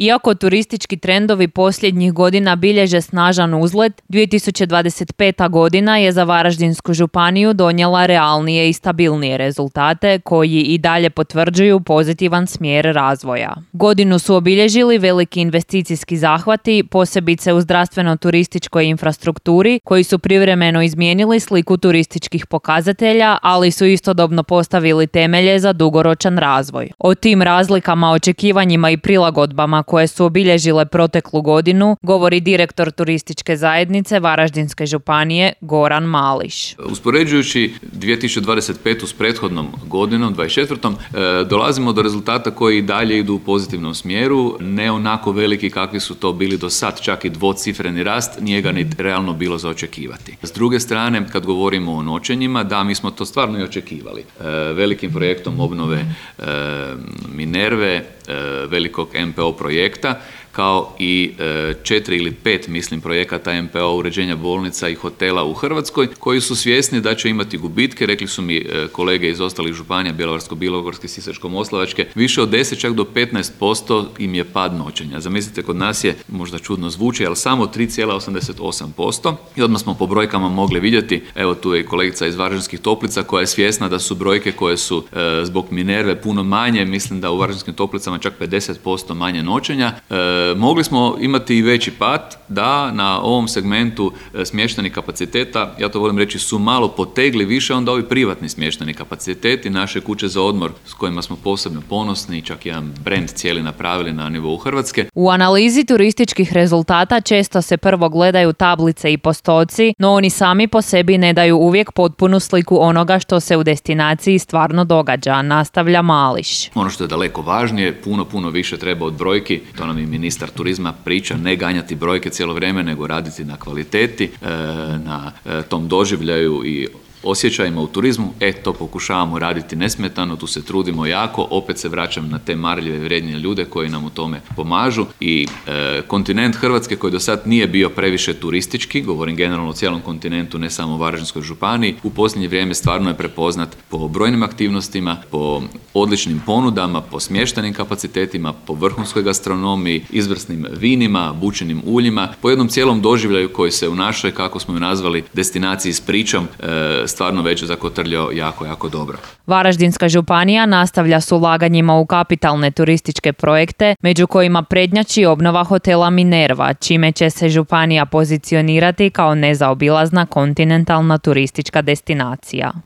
Iako turistički trendovi posljednjih godina bilježe snažan uzlet, 2025. godina je za Varaždinsku županiju donijela realnije i stabilnije rezultate koji i dalje potvrđuju pozitivan smjer razvoja. Godinu su obilježili veliki investicijski zahvati, posebice u zdravstveno-turističkoj infrastrukturi, koji su privremeno izmijenili sliku turističkih pokazatelja, ali su istodobno postavili temelje za dugoročan razvoj. O tim razlikama, očekivanjima i prilagodbama koje su obilježile proteklu godinu govori direktor turističke zajednice Varaždinske županije Goran Mališ. Uspoređujući 2025. s prethodnom godinom, 2024. dolazimo do rezultata koji i dalje idu u pozitivnom smjeru, ne onako veliki kakvi su to bili do sad, čak i dvocifreni rast, nije ga ni realno bilo za očekivati. S druge strane, kad govorimo o noćenjima, da, mi smo to stvarno i očekivali. Velikim projektom obnove Minerve, velikog MPO projekta, kao i 4 ili 5, mislim, projekata MPO uređenja bolnica i hotela u Hrvatskoj, koji su svjesni da će imati gubitke. Rekli su mi kolege iz ostalih županija, Bjelovarsko-bilogorske, Sisačko-moslavačke, više od 10, čak do 15% im je pad noćenja. Zamislite, kod nas je, možda čudno zvuči, ali samo 3,88%. I odmah smo po brojkama mogli vidjeti, evo tu je i kolegica iz Varaždinskih Toplica koja je svjesna da su brojke koje su zbog Minerve puno manje, mislim da u Varaždinskim Toplicama čak 50% manje noćenja. Mogli smo imati i veći pad, da na ovom segmentu smještajnih kapaciteta, ja to volim reći, su malo potegli više onda ovi privatni smještajni kapaciteti, naše kuće za odmor s kojima smo posebno ponosni, čak jedan brand cijeli napravili na nivou Hrvatske. U analizi turističkih rezultata često se prvo gledaju tablice i postoci, no oni sami po sebi ne daju uvijek potpunu sliku onoga što se u destinaciji stvarno događa, nastavlja Mališ. Ono što je daleko važnije, puno više treba od brojki, to nam i ministar turizma priča, ne ganjati brojke cijelo vrijeme, nego raditi na kvaliteti, na tom doživljaju i osjećajima u turizmu. To pokušavamo raditi nesmetano, tu se trudimo jako, opet se vraćam na te marljive i vrijedne ljude koji nam u tome pomažu i kontinent Hrvatske koji do sad nije bio previše turistički, govorim generalno o cijelom kontinentu, ne samo u Varaždinskoj županiji, u posljednje vrijeme stvarno je prepoznat po brojnim aktivnostima, po odličnim ponudama, po smještajnim kapacitetima, po vrhunskoj gastronomiji, izvrsnim vinima, bućenim uljima, po jednom cijelom doživljaju koji se u našoj, kako smo ju nazvali, destinaciji s pričom, stvarno već zakotrljao jako dobro. Varaždinska županija nastavlja s ulaganjima u kapitalne turističke projekte, među kojima prednjači obnova hotela Minerva, čime će se županija pozicionirati kao nezaobilazna kontinentalna turistička destinacija.